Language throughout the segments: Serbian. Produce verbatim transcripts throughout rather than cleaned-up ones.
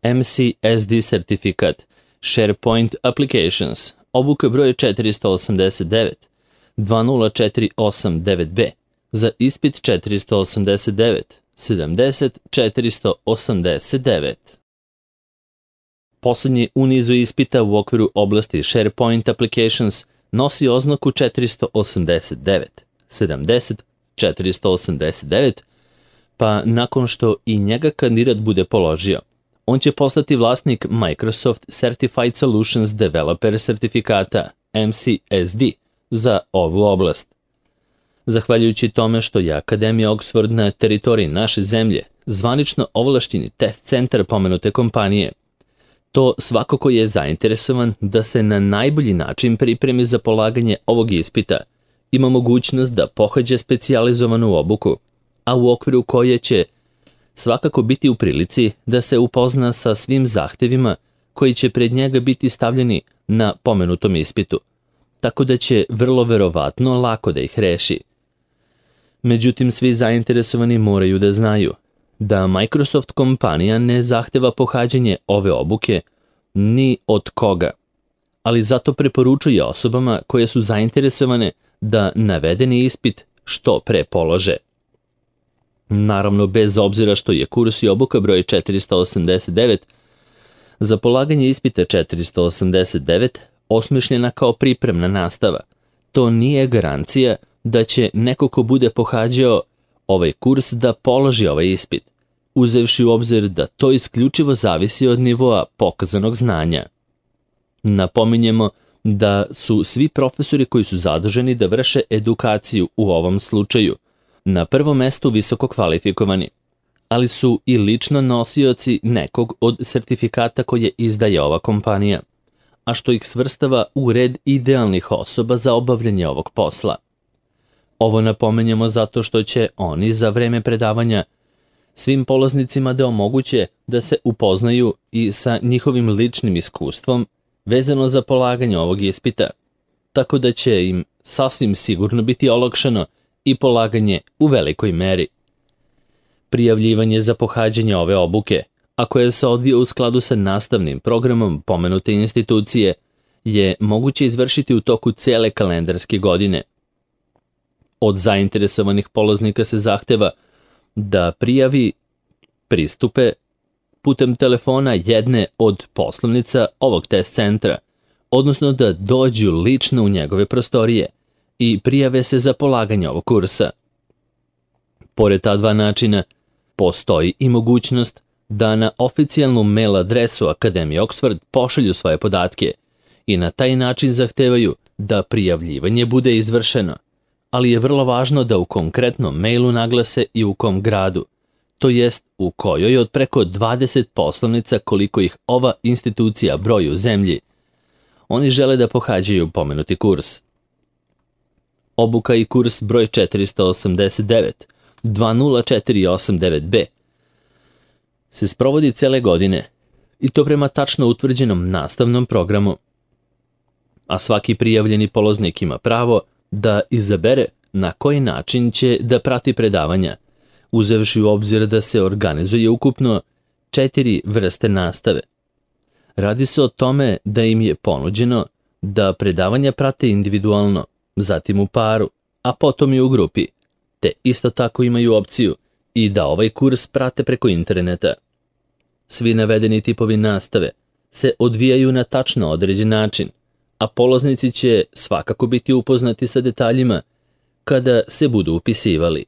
M C S D sertifikat, SharePoint Applications, obuka broj četiristo osamdeset devet, dva nula četiri osam devet B, za ispit četiristo osamdeset devet, sedamdeset četiristo osamdeset devet. Poslednji u nizu ispita u okviru oblasti SharePoint Applications nosi oznaku četiristo osamdeset devet, sedamdeset četiristo osamdeset devet, pa nakon što i njega kandidat bude položio, on će postati vlasnik Microsoft Certified Solutions Developer sertifikata M C S D za ovu oblast. Zahvaljujući tome što je Akademija Oxford na teritoriji naše zemlje zvanično ovlašćeni test centar pomenute kompanije, to svako ko je zainteresovan da se na najbolji način pripremi za polaganje ovog ispita ima mogućnost da pohađa specijalizovanu obuku, a u okviru koje će svakako biti u prilici da se upozna sa svim zahtevima koji će pred njega biti stavljeni na pomenutom ispitu, tako da će vrlo verovatno lako da ih reši. Međutim, svi zainteresovani moraju da znaju da Microsoft kompanija ne zahteva pohađanje ove obuke ni od koga, ali zato preporučuje osobama koje su zainteresovane da navedeni ispit što pre polože. Naravno, bez obzira što je kurs i obuka broj četiristo osamdeset devet, za polaganje ispita četiristo osamdeset devet osmišljena kao pripremna nastava, to nije garancija da će neko ko bude pohađao ovaj kurs da položi ovaj ispit, uzevši u obzir da to isključivo zavisi od nivoa pokazanog znanja. Napominjemo da su svi profesori koji su zaduženi da vrše edukaciju u ovom slučaju na prvom mestu visoko kvalifikovani, ali su i lično nosioci nekog od sertifikata koje izdaje ova kompanija, a što ih svrstava u red idealnih osoba za obavljanje ovog posla. Ovo napomenjamo zato što će oni za vreme predavanja svim polaznicima da omoguće da se upoznaju i sa njihovim ličnim iskustvom vezano za polaganje ovog ispita, tako da će im sasvim sigurno biti olakšano i polaganje u velikoj meri. Prijavljivanje za pohađanje ove obuke, a koje se odvija u skladu sa nastavnim programom pomenute institucije, je moguće izvršiti u toku cele kalendarske godine. Od zainteresovanih polaznika se zahteva da prijavi pristupe putem telefona jedne od poslovnica ovog test centra, odnosno da dođu lično u njegove prostorije i prijave se za polaganje ovog kursa. Pored ta dva načina, postoji i mogućnost da na oficijalnu mail adresu Akademije Oxford pošalju svoje podatke i na taj način zahtevaju da prijavljivanje bude izvršeno, ali je vrlo važno da u konkretnom mailu naglase i u kom gradu, to jest u kojoj od preko dvadeset poslovnica koliko ih ova institucija broji u zemlji, oni žele da pohađaju pomenuti kurs. Obuka i kurs broj četiristo osamdeset devet, dva nula četiri osam devet B se sprovodi cele godine i to prema tačno utvrđenom nastavnom programu, a svaki prijavljeni polaznik ima pravo da izabere na koji način će da prati predavanja, uzevši u obzir da se organizuje ukupno četiri vrste nastave. Radi se o tome da im je ponuđeno da predavanja prate individualno, zatim u paru, a potom i u grupi, te isto tako imaju opciju i da ovaj kurs prate preko interneta. Svi navedeni tipovi nastave se odvijaju na tačno određen način, a polaznici će svakako biti upoznati sa detaljima kada se budu upisivali.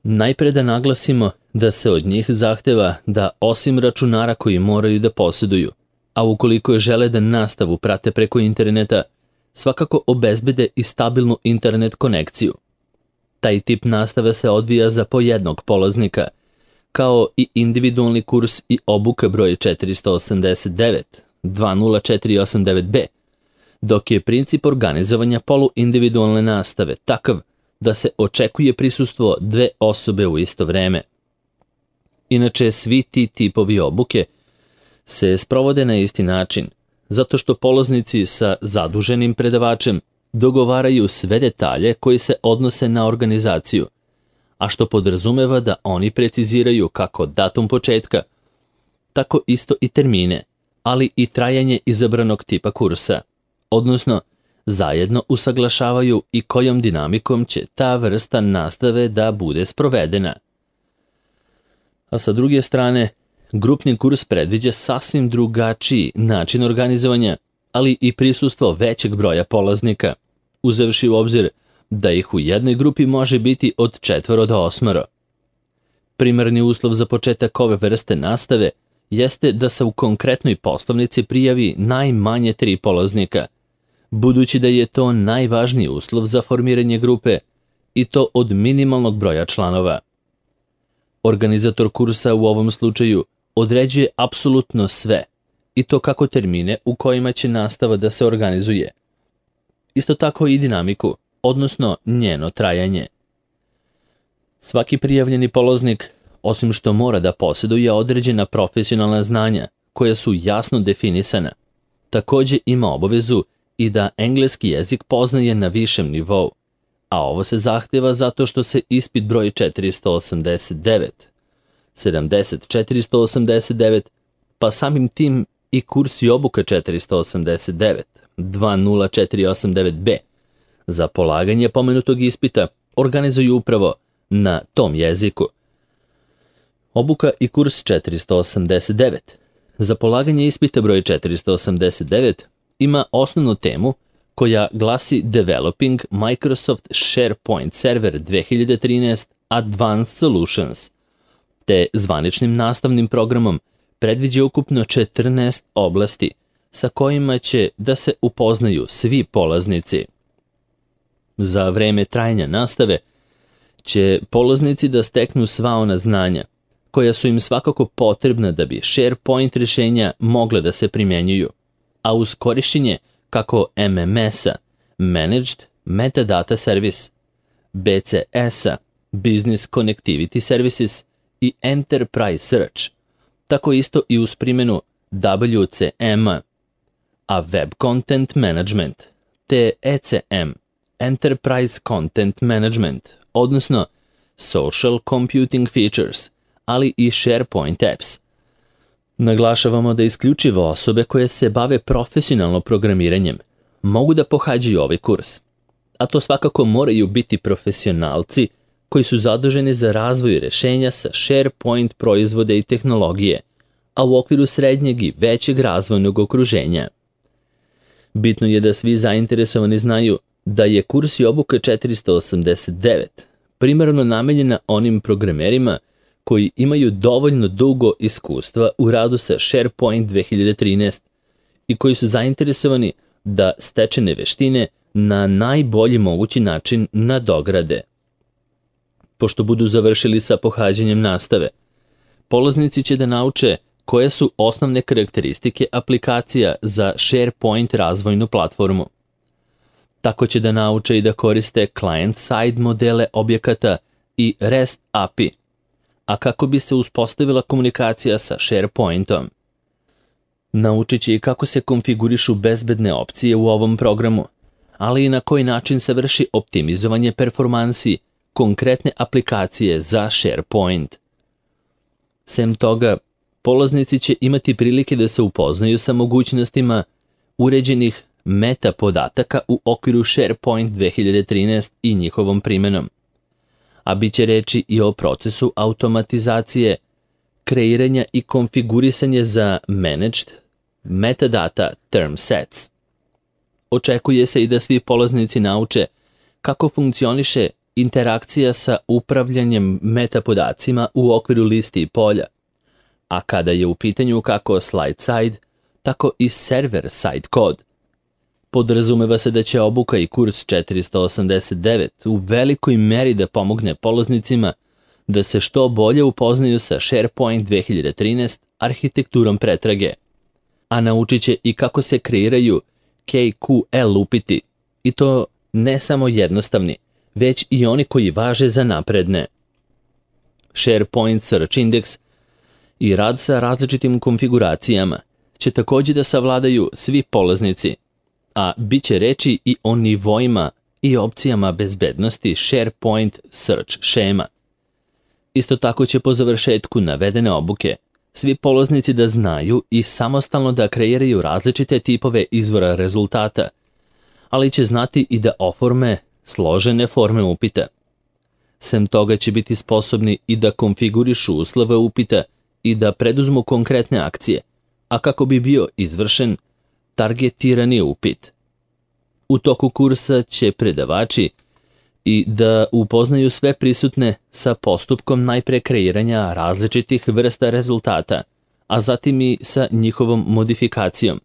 Najpre da naglasimo da se od njih zahteva da osim računara koji moraju da posjeduju, a ukoliko žele da nastavu prate preko interneta, svakako obezbede i stabilnu internet konekciju. Taj tip nastave se odvija za po jednog polaznika, kao i individualni kurs i obuka broj četiristo osamdeset devet, dva nula četiri osam devet B, dok je princip organizovanja poluindividualne nastave takav da se očekuje prisustvo dve osobe u isto vreme. Inače, svi ti tipovi obuke se sprovode na isti način, zato što polaznici sa zaduženim predavačem dogovaraju sve detalje koji se odnose na organizaciju, a što podrazumeva da oni preciziraju kako datum početka, tako isto i termine, ali i trajanje izabranog tipa kursa, odnosno zajedno usaglašavaju i kojom dinamikom će ta vrsta nastave da bude sprovedena. A sa druge strane, grupni kurs predviđa sasvim drugačiji način organizovanja, ali i prisustvo većeg broja polaznika, uzevši u obzir da ih u jednoj grupi može biti od četvoro do osmoro. Primarni uslov za početak ove vrste nastave jeste da se u konkretnoj poslovnici prijavi najmanje tri polaznika, budući da je to najvažniji uslov za formiranje grupe i to od minimalnog broja članova. Organizator kursa u ovom slučaju određuje apsolutno sve, i to kako termine u kojima će nastava da se organizuje. Isto tako i dinamiku, odnosno njeno trajanje. Svaki prijavljeni polaznik, osim što mora da posjeduje određena profesionalna znanja koja su jasno definisana, također ima obavezu i da engleski jezik poznaje na višem nivou, a ovo se zahteva zato što se ispit broj četiristo osamdeset devet, sedamdeset četiristo osamdeset devet, pa samim tim i kurs i obuka četiristo osamdeset devet, dva nula četiri osam devet be, za polaganje pomenutog ispita organizuju upravo na tom jeziku. Obuka i kurs četiristo osamdeset devet. Za polaganje ispita broj četiristo osamdeset devet ima osnovnu temu koja glasi Developing Microsoft SharePoint Server dve hiljade trinaest Advanced Solutions, te zvaničnim nastavnim programom predviđa ukupno četrnaest oblasti sa kojima će da se upoznaju svi polaznici. Za vreme trajanja nastave će polaznici da steknu sva ona znanja koja su im svakako potrebna da bi SharePoint rješenja mogle da se primjenjuju, a uz korišćenje kako em em es-a, Managed Metadata Service, be ce es-a, Business Connectivity Services i Enterprise Search, tako isto i uz primjenu W C M-a, a Web Content Management, te E C M, Enterprise Content Management, odnosno Social Computing Features, ali i SharePoint Apps. Naglašavamo da isključivo osobe koje se bave profesionalno programiranjem mogu da pohađaju ovaj kurs, a to svakako moraju biti profesionalci koji su zaduženi za razvoj rješenja sa SharePoint proizvode i tehnologije, a u okviru srednjeg i većeg razvojnog okruženja. Bitno je da svi zainteresovani znaju da je kurs i obuka četiristo osamdeset devet primarno namenjena onim programerima koji imaju dovoljno dugo iskustva u radu sa SharePoint dve hiljade trinaest i koji su zainteresovani da stečene veštine na najbolji mogući način nadograde. Pošto budu završili sa pohađanjem nastave, polaznici će da nauče koje su osnovne karakteristike aplikacija za SharePoint razvojnu platformu. Tako će da nauče i da koriste client-side modele objekata i REST A P I, a kako bi se uspostavila komunikacija sa SharePointom. Naučit će i kako se konfigurišu bezbedne opcije u ovom programu, ali i na koji način se vrši optimizovanje performansi konkretne aplikacije za SharePoint. Sem toga, polaznici će imati prilike da se upoznaju sa mogućnostima uređenih meta podataka u okviru SharePoint dve hiljade trinaest i njihovom primjenom, a bit će reči i o procesu automatizacije, kreiranja i konfigurisanje za Managed Metadata Term Sets. Očekuje se i da svi polaznici nauče kako funkcioniše interakcija sa upravljanjem metapodacima u okviru listi i polja, a kada je u pitanju kako slide-side, tako i server-side kod. Podrazumeva se da će obuka i kurs četiristo osamdeset devet u velikoj meri da pomogne polaznicima da se što bolje upoznaju sa SharePoint dve hiljade trinaest arhitekturom pretrage, a naučit će i kako se kreiraju K Q L upiti, i to ne samo jednostavni, već i oni koji važe za napredne. SharePoint Search Index i rad sa različitim konfiguracijama će također da savladaju svi polaznici, a bit će reči i o nivoima i opcijama bezbednosti SharePoint Search šema. Isto tako će po završetku navedene obuke svi polaznici da znaju i samostalno da kreiraju različite tipove izvora rezultata, ali će znati i da oforme složene forme upita. Sem toga će biti sposobni i da konfigurišu uslove upita i da preduzmu konkretne akcije, a kako bi bio izvršen targetirani upit. U toku kursa će predavači i da upoznaju sve prisutne sa postupkom najpre kreiranja različitih vrsta rezultata, a zatim i sa njihovom modifikacijom.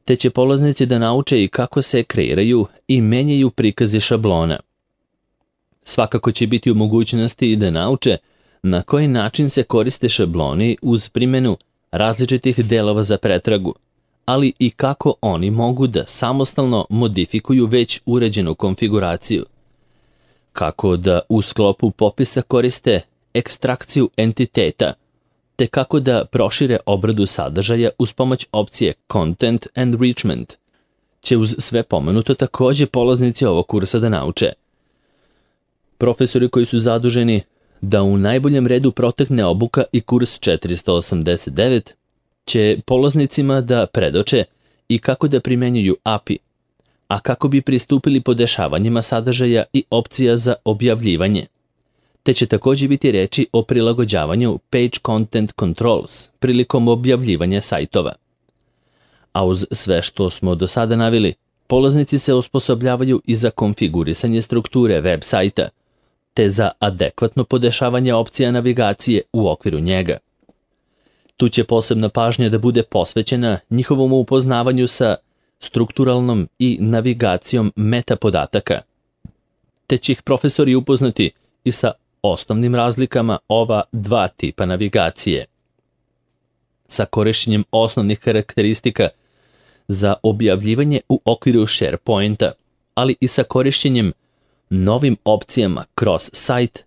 Te će polaznici da nauče i kako se kreiraju i menjaju prikazi šablona. Svakako će biti u mogućnosti da nauče na koji način se koriste šabloni uz primjenu različitih delova za pretragu, ali i kako oni mogu da samostalno modifikuju već uređenu konfiguraciju. Kako da u sklopu popisa koriste ekstrakciju entiteta, te kako da prošire obradu sadržaja uz pomoć opcije Content Enrichment, će uz sve pomenuto takođe polaznici ovog kursa da nauče. Profesori koji su zaduženi da u najboljem redu protekne obuka i kurs četiristo osamdeset devet, će polaznicima da predoče i kako da primenjuju A P I, a kako bi pristupili podešavanjima sadržaja i opcija za objavljivanje. Te će takođe biti reči o prilagođavanju Page Content Controls prilikom objavljivanja sajtova. A uz sve što smo do sada naveli, polaznici se osposobljavaju i za konfigurisanje strukture web sajta, te za adekvatno podešavanje opcija navigacije u okviru njega. Tu će posebna pažnja da bude posvećena njihovom upoznavanju sa strukturalnom i navigacijom meta podataka, te će ih profesori upoznati i sa osnovnim razlikama ova dva tipa navigacije. Sa korišćenjem osnovnih karakteristika za objavljivanje u okviru SharePointa, ali i sa korišćenjem novim opcijama kroz sajt,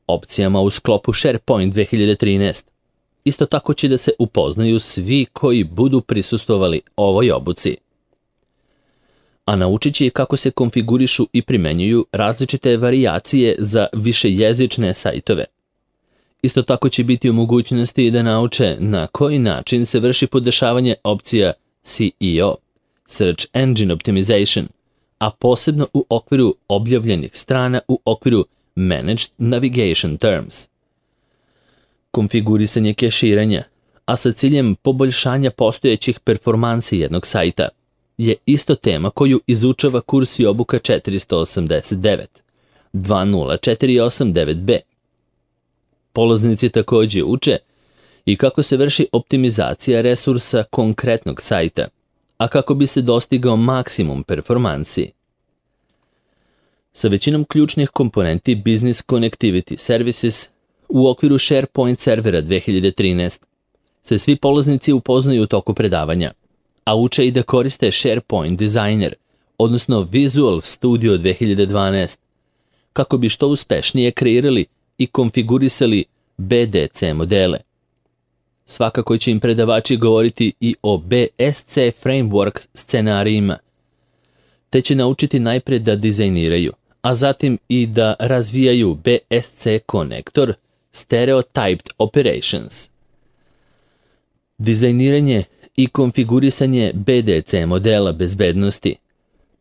opcijama u sklopu SharePoint dve hiljade trinaest. Isto tako će da se upoznaju svi koji budu prisustvovali ovoj obuci. A naučit će i kako se konfigurišu i primenjuju različite varijacije za višejezične sajtove. Isto tako će biti u mogućnosti da nauče na koji način se vrši podešavanje opcija S E O, Search Engine Optimization, a posebno u okviru objavljenih strana u okviru Managed Navigation Terms. Konfigurisanje keširanja, a sa ciljem poboljšanja postojećih performansi jednog sajta, je isto tema koju izučava kurs i obuka četiristo osamdeset devet, dva nula četiri osam devet B. Polaznici takođe uče i kako se vrši optimizacija resursa konkretnog sajta, a kako bi se dostigao maksimum performansi. Sa većinom ključnih komponenti Business Connectivity Services u okviru SharePoint servera dve hiljade trinaest se svi polaznici upoznaju u toku predavanja, a uče i da koriste SharePoint Designer, odnosno Visual Studio dve hiljade dvanaest, kako bi što uspešnije kreirali i konfigurisali B D C modele. Svakako će im predavači govoriti i o B S C framework scenarijima, te će naučiti najpre da dizajniraju, a zatim i da razvijaju B S C konektor Stereotyped Operations. Dizajniranje i konfigurisanje B D C modela bezbednosti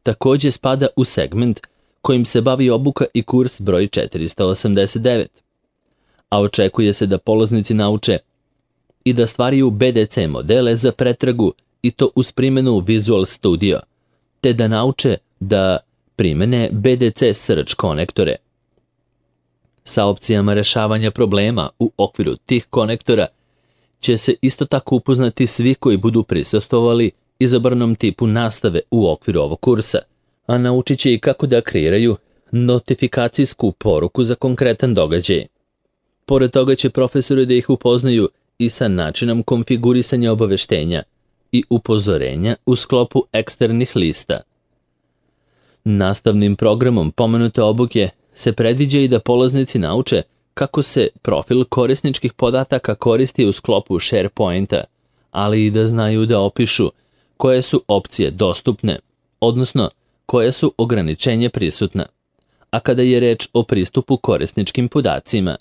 takođe spada u segment kojim se bavi obuka i kurs broj četiristo osamdeset devet, a očekuje se da polaznici nauče i da stvaraju B D C modele za pretragu i to uz primjenu Visual Studio, te da nauče da primene B D C search konektore. Sa opcijama rešavanja problema u okviru tih konektora će se isto tako upoznati svi koji budu prisustvovali izabranom tipu nastave u okviru ovog kursa, a naučit će i kako da kreiraju notifikacijsku poruku za konkretan događaj. Pored toga će profesori da ih upoznaju i sa načinom konfigurisanja obaveštenja i upozorenja u sklopu eksternih lista. Nastavnim programom pomenute obuke se predviđa i da polaznici nauče kako se profil korisničkih podataka koristi u sklopu SharePointa, ali i da znaju da opišu koje su opcije dostupne, odnosno koje su ograničenje prisutna, a kada je reč o pristupu korisničkim podacima.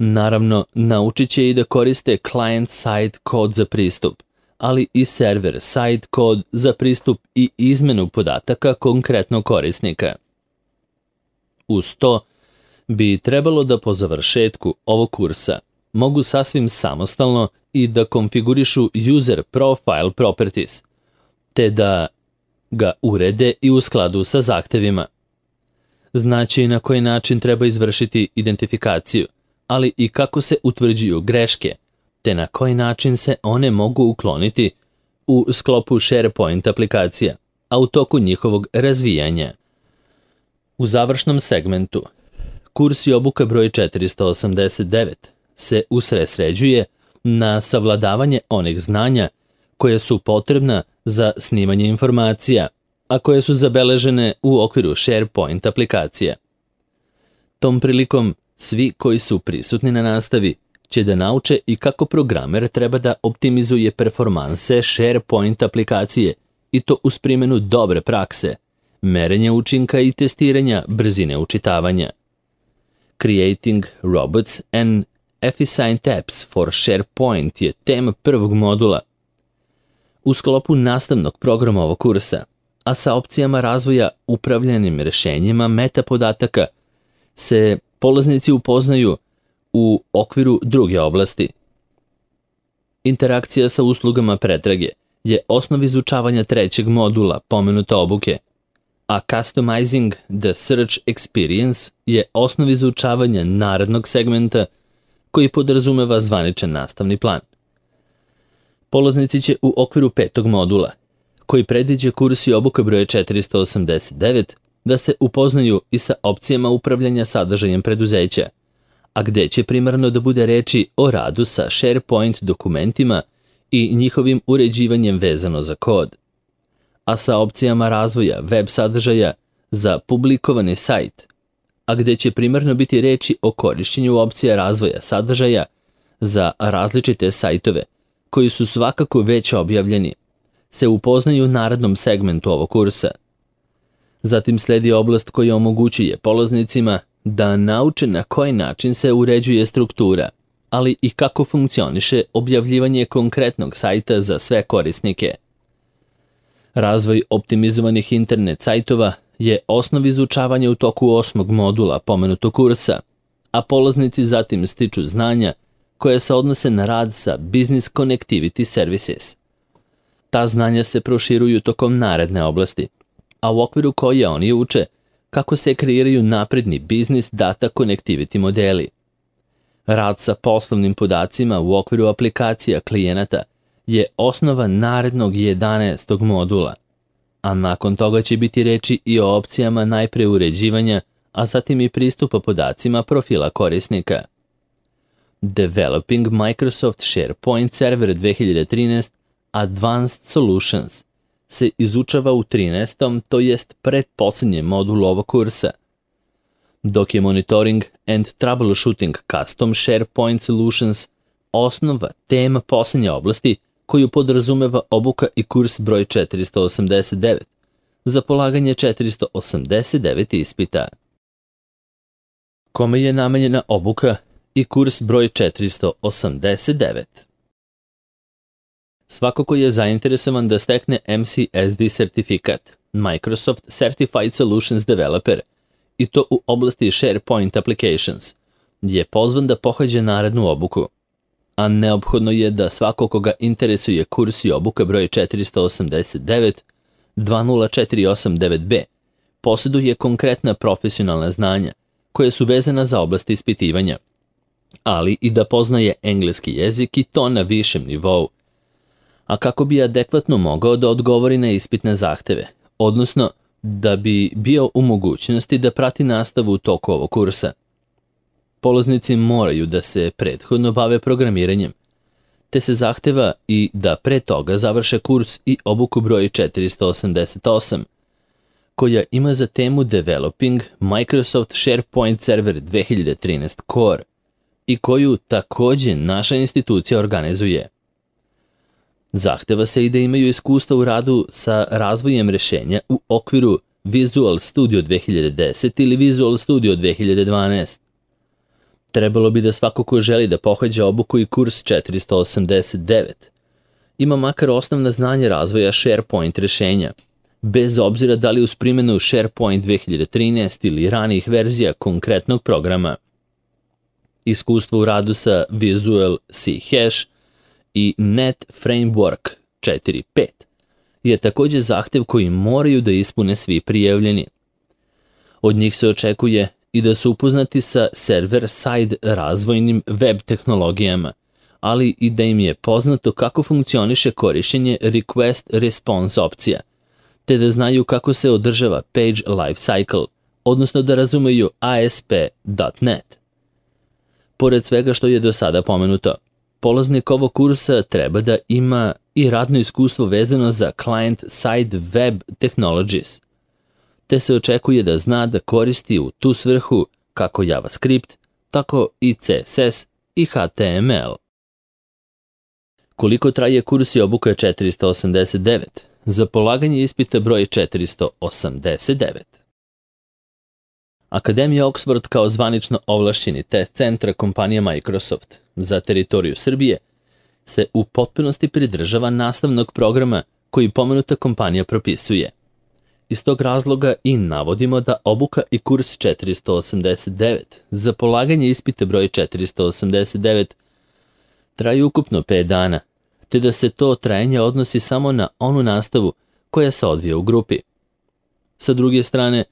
Naravno, naučit će i da koriste client-side kod za pristup, ali i server-side kod za pristup i izmenu podataka konkretnog korisnika. Uz to, bi trebalo da po završetku ovog kursa mogu sasvim samostalno i da konfigurišu user profile properties, te da ga urede i u skladu sa zahtevima. Znači na koji način treba izvršiti identifikaciju, ali i kako se utvrđuju greške, te na koji način se one mogu ukloniti u sklopu SharePoint aplikacija, a u toku njihovog razvijanja. U završnom segmentu, kurs i obuka broj četiristo osamdeset devet se usredsređuje na savladavanje onih znanja koje su potrebna za snimanje informacija, a koje su zabeležene u okviru SharePoint aplikacija. Tom prilikom svi koji su prisutni na nastavi će da nauče i kako programer treba da optimizuje performanse SharePoint aplikacije i to uz primjenu dobre prakse, merenja učinka i testiranja brzine učitavanja. Creating Robots and Efficient Apps for SharePoint je tema prvog modula. U sklopu nastavnog programa ovog kursa, a sa opcijama razvoja upravljanim rešenjima metapodataka, se polaznici upoznaju u okviru druge oblasti. Interakcija sa uslugama pretrage je osnov izučavanja trećeg modula pomenute obuke, a Customizing the Search Experience je osnov izučavanja narednog segmenta koji podrazumeva zvaničan nastavni plan. Polaznici će u okviru petog modula, koji predviđa kurs i obuka broje četiristo osamdeset devet, da se upoznaju i sa opcijama upravljanja sadržajem preduzeća, a gde će primarno da bude reči o radu sa SharePoint dokumentima i njihovim uređivanjem vezano za kod, a sa opcijama razvoja web sadržaja za publikovani sajt, a gde će primarno biti reči o korišćenju opcija razvoja sadržaja za različite sajtove koji su svakako već objavljeni, se upoznaju u narednom segmentu ovog kursa. Zatim sledi oblast koja omogućuje polaznicima da nauče na koji način se uređuje struktura, ali i kako funkcioniše objavljivanje konkretnog sajta za sve korisnike. Razvoj optimizovanih internet sajtova je osnov izučavanja u toku osmog modula pomenutog kursa, a polaznici zatim stiču znanja koje se odnose na rad sa Business Connectivity Services. Ta znanja se proširuju tokom naredne oblasti, a u okviru koje oni uče kako se kreiraju napredni Business Data Connectivity modeli. Rad sa poslovnim podacima u okviru aplikacija klijenata je osnova narednog jedanaestog modula, a nakon toga će biti reči i o opcijama najpre uređivanja, a zatim i pristupa podacima profila korisnika. Developing Microsoft SharePoint Server dve hiljade trinaest Advanced Solutions se izučava u trinaestom, to jest pretposlednjem modulu ovog kursa, dok je Monitoring and Troubleshooting Custom SharePoint Solutions osnova tema poslednje oblasti koju podrazumeva obuka i kurs broj četiristo osamdeset devet za polaganje četiristo osamdeset devet ispita. Kome je namenjena obuka i kurs broj četiristo osamdeset devet? Svako ko je zainteresovan da stekne M C S D sertifikat, Microsoft Certified Solutions Developer, i to u oblasti SharePoint Applications, je pozvan da pohađa narednu obuku, a neophodno je da svako koga interesuje kurs i obuka broj četiristo osamdeset devet dve nula četiri osam devet B posjeduje konkretna profesionalna znanja koje su vezana za oblast ispitivanja, ali i da poznaje engleski jezik i to na višem nivou, a kako bi adekvatno mogao da odgovori na ispitne zahteve, odnosno da bi bio u mogućnosti da prati nastavu u toku ovog kursa. Polaznici moraju da se prethodno bave programiranjem, te se zahteva i da pre toga završe kurs i obuku broj četiristo osamdeset osam, koja ima za temu Developing Microsoft SharePoint Server dve hiljade trinaest Core i koju takođe naša institucija organizuje. Zahteva se i da imaju iskustva u radu sa razvojem rešenja u okviru Visual Studio dve hiljade deset ili Visual Studio dve hiljade dvanaest. Trebalo bi da svako ko želi da pohađa obuku i kurs četiristo osamdeset devet ima makar osnovna znanja razvoja SharePoint rešenja, bez obzira da li uz primjenu SharePoint dve hiljade trinaest ili ranijih verzija konkretnog programa. Iskustvo u radu sa Visual C Hash i Net Framework četiri pet je također zahtev koji moraju da ispune svi prijavljeni. Od njih se očekuje i da su upoznati sa server-side razvojnim web tehnologijama, ali i da im je poznato kako funkcioniše korišćenje request-response opcija, te da znaju kako se održava page lifecycle, odnosno da razumeju A S P dot net. Pored svega što je do sada pomenuto, polaznik ovog kursa treba da ima i radno iskustvo vezano za client-side web technologies, te se očekuje da zna da koristi u tu svrhu kako JavaScript, tako i C S S i H T M L. Koliko traje kurs i obuka četiristo osamdeset devet? Za polaganje ispita broj četiristo osamdeset devet. Akademija Oxford kao zvanično ovlašćeni test centra kompanija Microsoft za teritoriju Srbije se u potpunosti pridržava nastavnog programa koji pomenuta kompanija propisuje. Iz tog razloga i navodimo da obuka i kurs četiristo osamdeset devet za polaganje ispita broj četiristo osamdeset devet traju ukupno pet dana, te da se to trajanje odnosi samo na onu nastavu koja se odvija u grupi. Sa druge strane,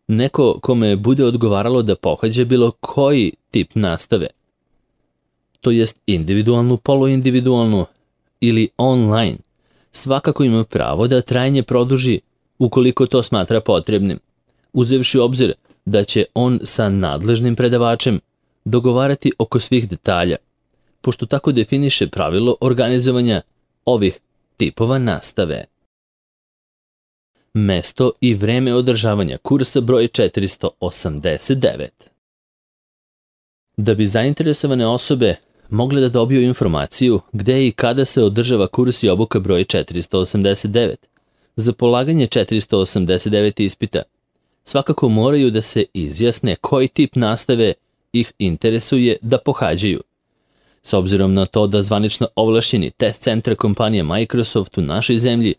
neko kome bude odgovaralo da pohađa bilo koji tip nastave, to jest individualnu, poluindividualnu ili online, svakako ima pravo da trajanje produži ukoliko to smatra potrebnim, uzevši u obzir da će on sa nadležnim predavačem dogovarati oko svih detalja, pošto tako definiše pravilo organizovanja ovih tipova nastave. Mesto i vreme održavanja kursa broj četiristo osamdeset devet. Da bi zainteresovane osobe mogle da dobiju informaciju gde i kada se održava kurs i obuka broj četiristo osamdeset devet, za polaganje četiristo osamdeset devet ispita, svakako moraju da se izjasne koji tip nastave ih interesuje da pohađaju. S obzirom na to da zvanično ovlašćeni test centar kompanije Microsoft u našoj zemlji,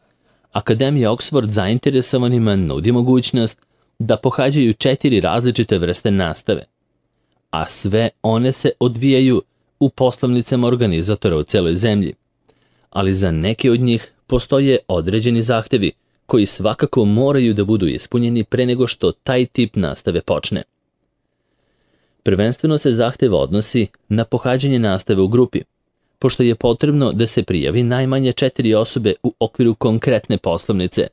Akademija Oxford zainteresovanima nudi mogućnost da pohađaju četiri različite vrste nastave, a sve one se odvijaju u poslovnicama organizatora u celoj zemlji, ali za neke od njih postoje određeni zahtevi koji svakako moraju da budu ispunjeni pre nego što taj tip nastave počne. Prvenstveno se zahtev odnosi na pohađanje nastave u grupi, pošto je potrebno da se prijavi najmanje četiri osobe u okviru konkretne poslovnice,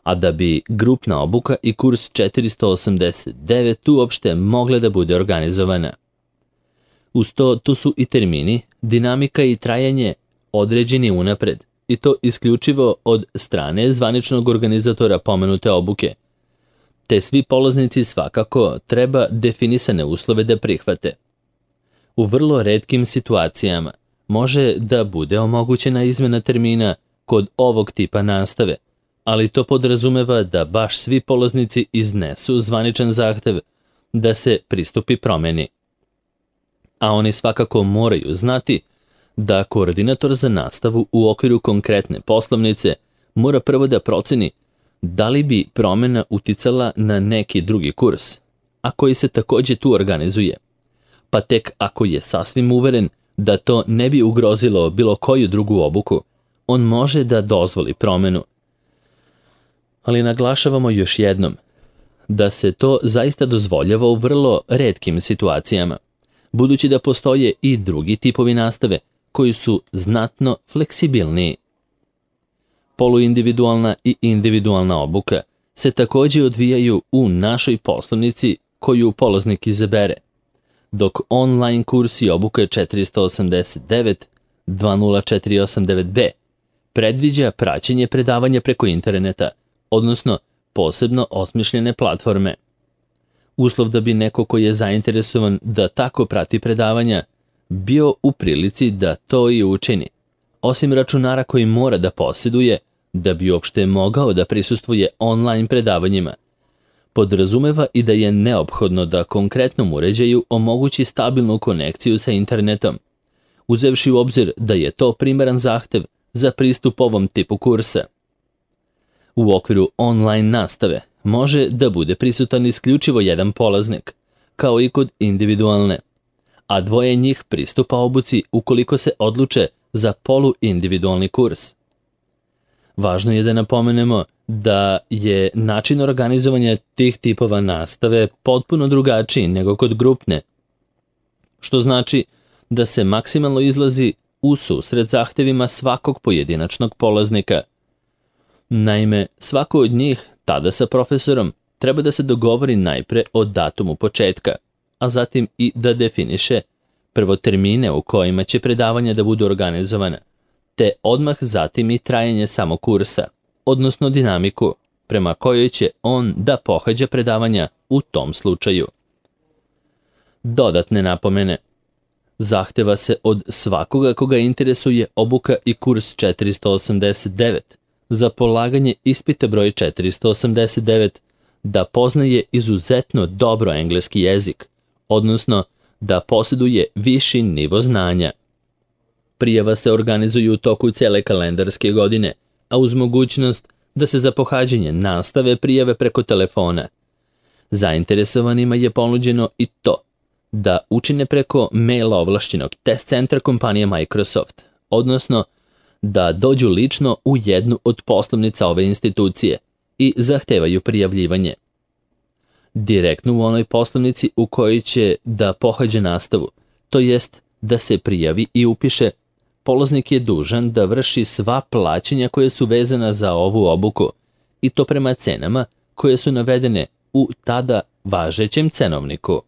a da bi grupna obuka i kurs četiristo osamdeset devet uopšte mogle da bude organizovana. Uz to, tu su i termini, dinamika i trajanje određeni unapred, i to isključivo od strane zvaničnog organizatora pomenute obuke, te svi polaznici svakako treba definisane uslove da prihvate. U vrlo retkim situacijama može da bude omogućena izmena termina kod ovog tipa nastave, ali to podrazumeva da baš svi polaznici iznesu zvaničan zahtev da se pristupi promeni. A oni svakako moraju znati da koordinator za nastavu u okviru konkretne poslovnice mora prvo da proceni da li bi promena uticala na neki drugi kurs, a koji se također tu organizuje, pa tek ako je sasvim uveren da to ne bi ugrozilo bilo koju drugu obuku, on može da dozvoli promenu. Ali naglašavamo još jednom da se to zaista dozvoljava u vrlo retkim situacijama, budući da postoje i drugi tipovi nastave koji su znatno fleksibilniji. Poluindividualna i individualna obuka se također odvijaju u našoj poslovnici koju polaznik izabere, dok online kurs i obuka četiristo osamdeset devet dva nula četiri osam devet b predviđa praćenje predavanja preko interneta, odnosno posebno osmišljene platforme. Uslov da bi neko koji je zainteresovan da tako prati predavanja bio u prilici da to i učini, osim računara koji mora da posjeduje da bi uopšte mogao da prisustvuje online predavanjima. podrazumeva i da je neophodno da konkretnom uređaju omogući stabilnu konekciju sa internetom, uzevši u obzir da je to primeran zahtev za pristup ovom tipu kursa. U okviru online nastave može da bude prisutan isključivo jedan polaznik, kao i kod individualne, a dvoje njih pristupa obuci ukoliko se odluče za poluindividualni kurs. Važno je da napomenemo da je način organizovanja tih tipova nastave potpuno drugačiji nego kod grupne, što znači da se maksimalno izlazi u susret zahtevima svakog pojedinačnog polaznika. Naime, svako od njih, tada sa profesorom, treba da se dogovori najpre o datumu početka, a zatim i da definiše prvo termine u kojima će predavanja da budu organizovana, te odmah zatim i trajanje samog kursa, odnosno dinamiku prema kojoj će on da pohađa predavanja u tom slučaju. Dodatne napomene. Zahteva se od svakoga koga interesuje obuka i kurs četiristo osamdeset devet za polaganje ispita broj četiristo osamdeset devet da poznaje izuzetno dobro engleski jezik, odnosno da posjeduje viši nivo znanja. Prijava se organizuje u toku cele kalendarske godine, a uz mogućnost da se za pohađanje nastave prijave preko telefona. Zainteresovanima je ponuđeno i to da učine preko maila ovlašćenog test centra kompanije Microsoft, odnosno da dođu lično u jednu od poslovnica ove institucije i zahtevaju prijavljivanje. Direktno u onoj poslovnici u kojoj će da pohađa nastavu, to jest da se prijavi i upiše, polaznik je dužan da vrši sva plaćanja koje su vezana za ovu obuku, i to prema cenama koje su navedene u tada važećem cenovniku.